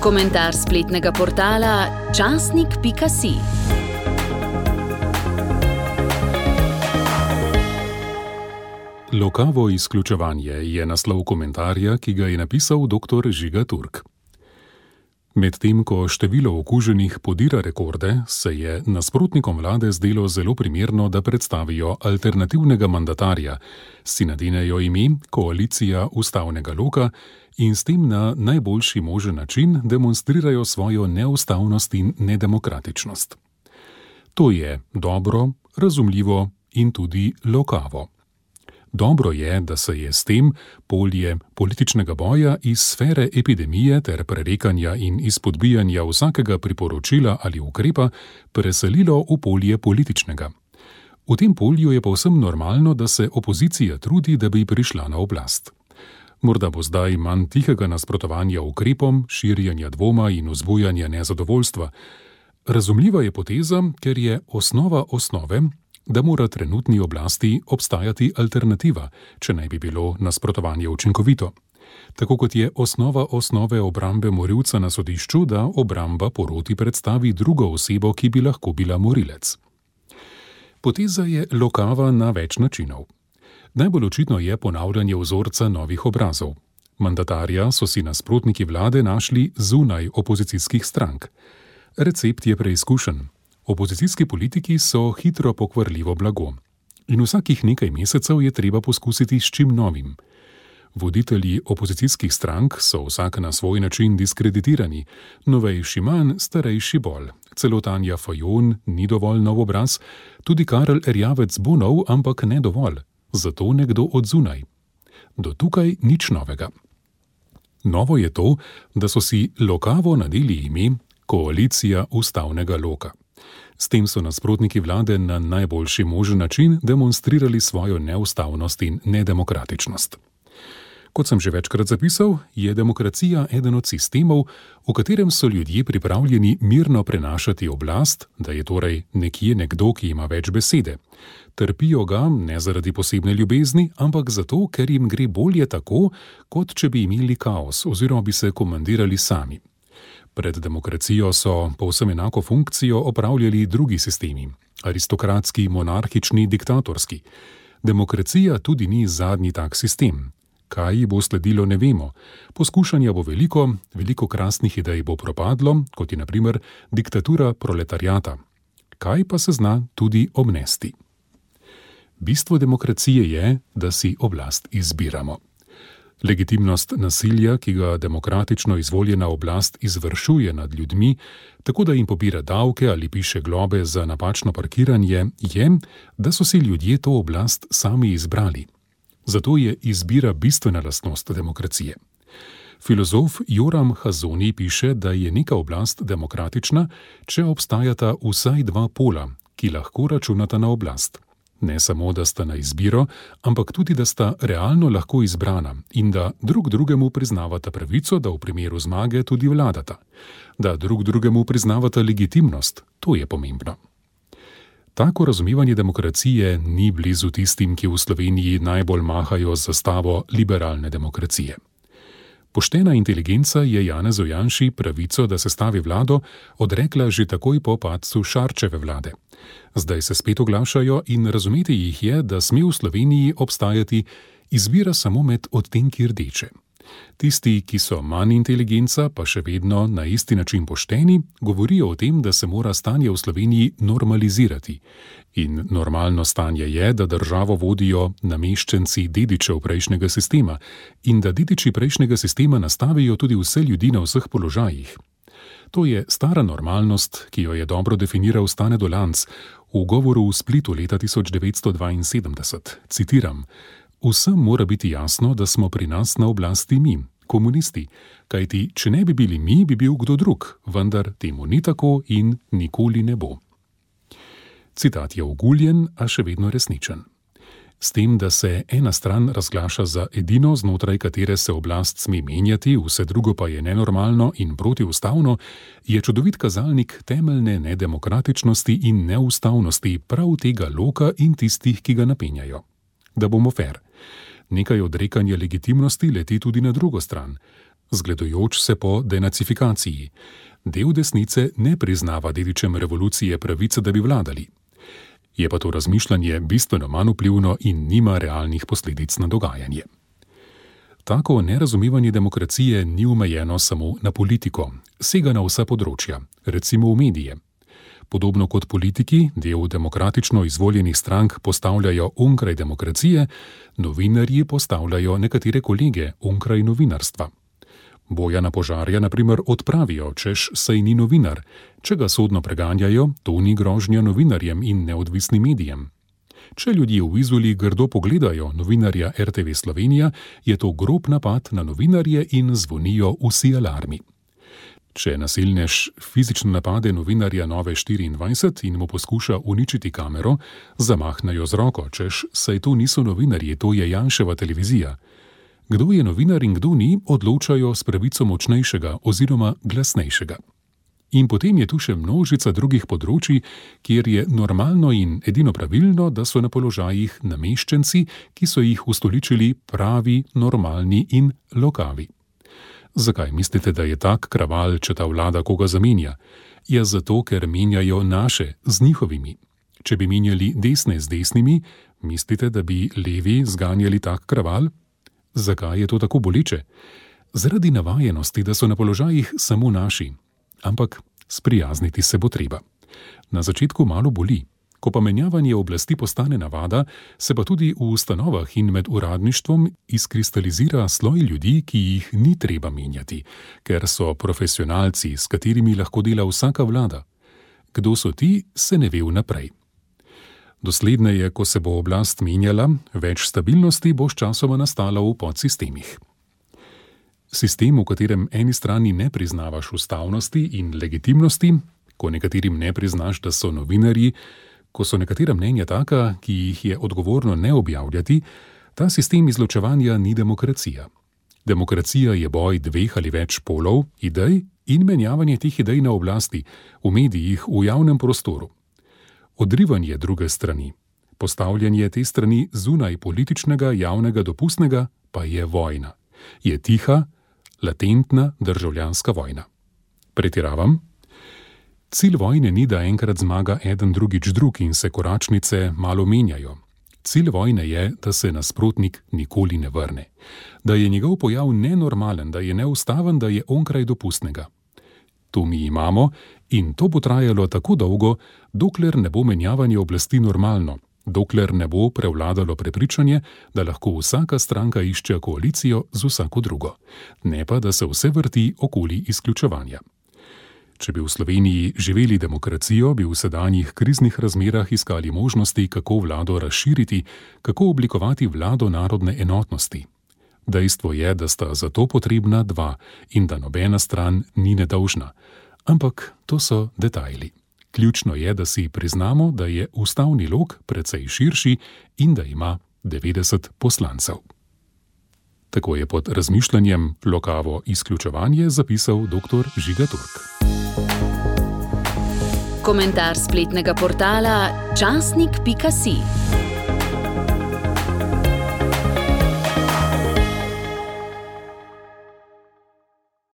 Komentar spletnega portala časnik.si. Lokavo izključevanje je naslov komentarja, ki ga je napisal dr. Žiga Turk. Medtem ko število okuženih podira rekorde, se je nasprotnikom vlade zdelo zelo primerno, da predstavijo alternativnega mandatarja, si nadenejo ime koalicija ustavnega loka in s tem na najboljši možen način demonstrirajo svojo neustavnost in nedemokratičnost. To je dobro, razumljivo in tudi lokavo. Dobro je, da se je s tem polje političnega boja iz sfere epidemije ter prerekanja in izpodbijanja vsakega priporočila ali ukrepa preselilo v polje političnega. V tem polju je povsem normalno, da se opozicija trudi, da bi prišla na oblast. Morda bo zdaj manj tihega nasprotovanja ukrepom, širjenja dvoma in vzbujanja nezadovoljstva. Razumljiva je poteza, ker je osnova osnove, da mora trenutni oblasti obstajati alternativa, če naj bi bilo nasprotovanje učinkovito. Tako kot je osnova osnove obrambe morilca na sodišču, da obramba poroti predstavi drugo osebo, ki bi lahko bila morilec. Poteza je lokava na več načinov. Najbolj očitno je ponavljanje vzorca novih obrazov. Mandatarja so si nasprotniki vlade našli zunaj opozicijskih strank. Recept je preizkušen. Opozicijski politiki so hitro pokvarljivo blago. In vsakih nekaj mesecev je treba poskusiti s čim novim. Voditelji opozicijskih strank so vsak na svoj način diskreditirani, novejši manj, starejši bolj. Celo Tanja Fajon ni dovolj nov obraz, tudi Karel Erjavec bo nov, ampak ne dovolj. Zato nekdo od zunaj. Do tukaj nič novega. Novo je to, da so si lokavo nadeli ime koalicija ustavnega loka. S tem so nasprotniki vlade na najboljši možen način demonstrirali svojo neustavnost in nedemokratičnost. Kot sem že večkrat zapisal, je demokracija eden od sistemov, v katerem so ljudje pripravljeni mirno prenašati oblast, da je torej nekje nekdo, ki ima več besede. Trpijo ga ne zaradi posebne ljubezni, ampak zato, ker jim gre bolje tako, kot če bi imeli kaos oziroma bi se komandirali sami. Pred demokracijo so povsem enako funkcijo opravljali drugi sistemi, aristokratski, monarhični, diktatorski. Demokracija tudi ni zadnji tak sistem. Kaj ji bo sledilo, ne vemo. Poskušanja bo veliko krasnih idej bo propadlo, kot je na primer diktatura proletariata. Kaj pa se zna tudi obnesti? Bistvo demokracije je, da si oblast izbiramo. Legitimnost nasilja, ki ga demokratično izvoljena oblast izvršuje nad ljudmi, tako da jim pobira davke ali piše globe za napačno parkiranje, je, da so si ljudje to oblast sami izbrali. Zato je izbira bistvena lastnost demokracije. Filozof Joram Hazony piše, da je neka oblast demokratična, če obstajata vsaj dva pola, ki lahko računata na oblast. Ne samo, da sta na izbiro, ampak tudi, da sta realno lahko izbrana in da drug drugemu priznavata pravico, da v primeru zmage tudi vladata. Da drug drugemu priznavata legitimnost, to je pomembno. Tako razumevanje demokracije ni blizu tistim, ki v Sloveniji najbolj mahajo z zastavo liberalne demokracije. Poštena inteligenca je Janezu Janši pravico, da sestavi vlado, odrekla že takoj po padcu Šarčeve vlade. Zdaj se spet oglašajo in razumeti jih je, da sme v Sloveniji obstajati izbira samo med odtenki rdeče. Tisti, ki so manj inteligenca, pa še vedno na isti način pošteni, govorijo o tem, da se mora stanje v Sloveniji normalizirati. In normalno stanje je, da državo vodijo nameščenci dedičev prejšnjega sistema in da dediči prejšnjega sistema nastavijo tudi vse ljudi na vseh položajih. To je stara normalnost, ki jo je dobro definiral Stane Dolanc v govoru v Splitu leta 1972. Citiram: "Vsem mora biti jasno, da smo pri nas na oblasti mi, komunisti, kajti če ne bi bili mi, bi bil kdo drug, vendar temu ni tako in nikoli ne bo." Citat je oguljen, a še vedno resničen. S tem, da se ena stran razglaša za edino, znotraj katere se oblast sme menjati, vse drugo pa je nenormalno in protiustavno, je čudovit kazalnik temeljne nedemokratičnosti in neustavnosti prav tega loka in tistih, ki ga napenjajo. Da bomo fer. Nekaj odrekanja legitimnosti leti tudi na drugo stran. zgledujoč se po denacifikaciji. Del desnice ne priznava dedičem revolucije pravice, da bi vladali. Je pa to razmišljanje bistveno manj vplivno in nima realnih posledic na dogajanje. Tako nerazumevanje demokracije ni omejeno samo na politiko, sega na vsa področja, recimo v medije. Podobno kot politiki del demokratično izvoljenih strank postavljajo onkraj demokracije, novinarji postavljajo nekatere kolege onkraj novinarstva. Bojana Požarja, na primer, odpravijo, češ saj ni novinar. Če ga sodno preganjajo, to ni grožnja novinarjem in neodvisnim medijem. Če ljudje v Izoli grdo pogledajo novinarja RTV Slovenija, je to grob napad na novinarje in zvonijo vsi alarmi. Če nasilnež fizično napade novinarja Nove24 in mu poskuša uničiti kamero, zamahnejo z roko, češ saj to niso novinarji, to je Janševa televizija. Kdo je novinar in kdo ni, odločajo s pravico močnejšega oziroma glasnejšega. In potem je tu še množica drugih področij, kjer je normalno in edino pravilno, da so na položajih nameščenci, ki so jih ustoličili pravi, normalni in lokavi. Zakaj mislite, da je tak kraval, če ta vlada koga zamenja? Ja, zato, ker menjajo naše z njihovimi. Če bi menjali desne z desnimi, mislite, da bi levi zganjali tak kraval? Zakaj je to tako boleče? Zaradi navajenosti, da so na položajih samo naši. Ampak sprijazniti se bo treba. Na začetku malo boli. Ko pa menjavanje oblasti postane navada, se pa tudi v ustanovah in med uradništvom izkristalizira sloj ljudi, ki jih ni treba menjati, ker so profesionalci, s katerimi lahko dela vsaka vlada. Kdo so ti, se ne ve vnaprej. Dosledneje, ko se bo oblast menjala, več stabilnosti bo sčasoma nastalo v podsistemih. Sistem, v katerem eni strani ne priznavaš ustavnosti in legitimnosti, ko nekaterim ne priznaš, da so novinarji, ko so nekatera mnenja taka, ki jih je odgovorno ne objavljati, ta sistem izločevanja ni demokracija. Demokracija je boj dveh ali več polov, idej in menjavanje teh idej na oblasti, v medijih, v javnem prostoru. Odrivanje druge strani, postavljanje te strani zunaj političnega, javnega, dopustnega, pa je vojna. Je tiha, latentna državljanska vojna. Pretiravam? Cilj vojne ni, da enkrat zmaga eden drugič drug in se koračnice malo menjajo. Cilj vojne je, da se nasprotnik nikoli ne vrne. Da je njegov pojav nenormalen, da je neustaven, da je onkraj dopustnega. To mi imamo in to bo trajalo tako dolgo, dokler ne bo menjavanje oblasti normalno, dokler ne bo prevladalo prepričanje, da lahko vsaka stranka išče koalicijo z vsako drugo, ne pa da se vse vrti okoli izključevanja. Če bi v Sloveniji živeli demokracijo, bi v sedanjih kriznih razmerah iskali možnosti, kako vlado razširiti, kako oblikovati vlado narodne enotnosti. Dejstvo je, da sta za to potrebna dva in da nobena stran ni nedolžna. Ampak to so detajli. Ključno je, da si priznamo, da je ustavni lok precej širši in da ima 90 poslancev. Tako je pod razmišljanjem lokavo izključevanje zapisal dr. Žiga Turk. Komentar spletnega portala časnik.si.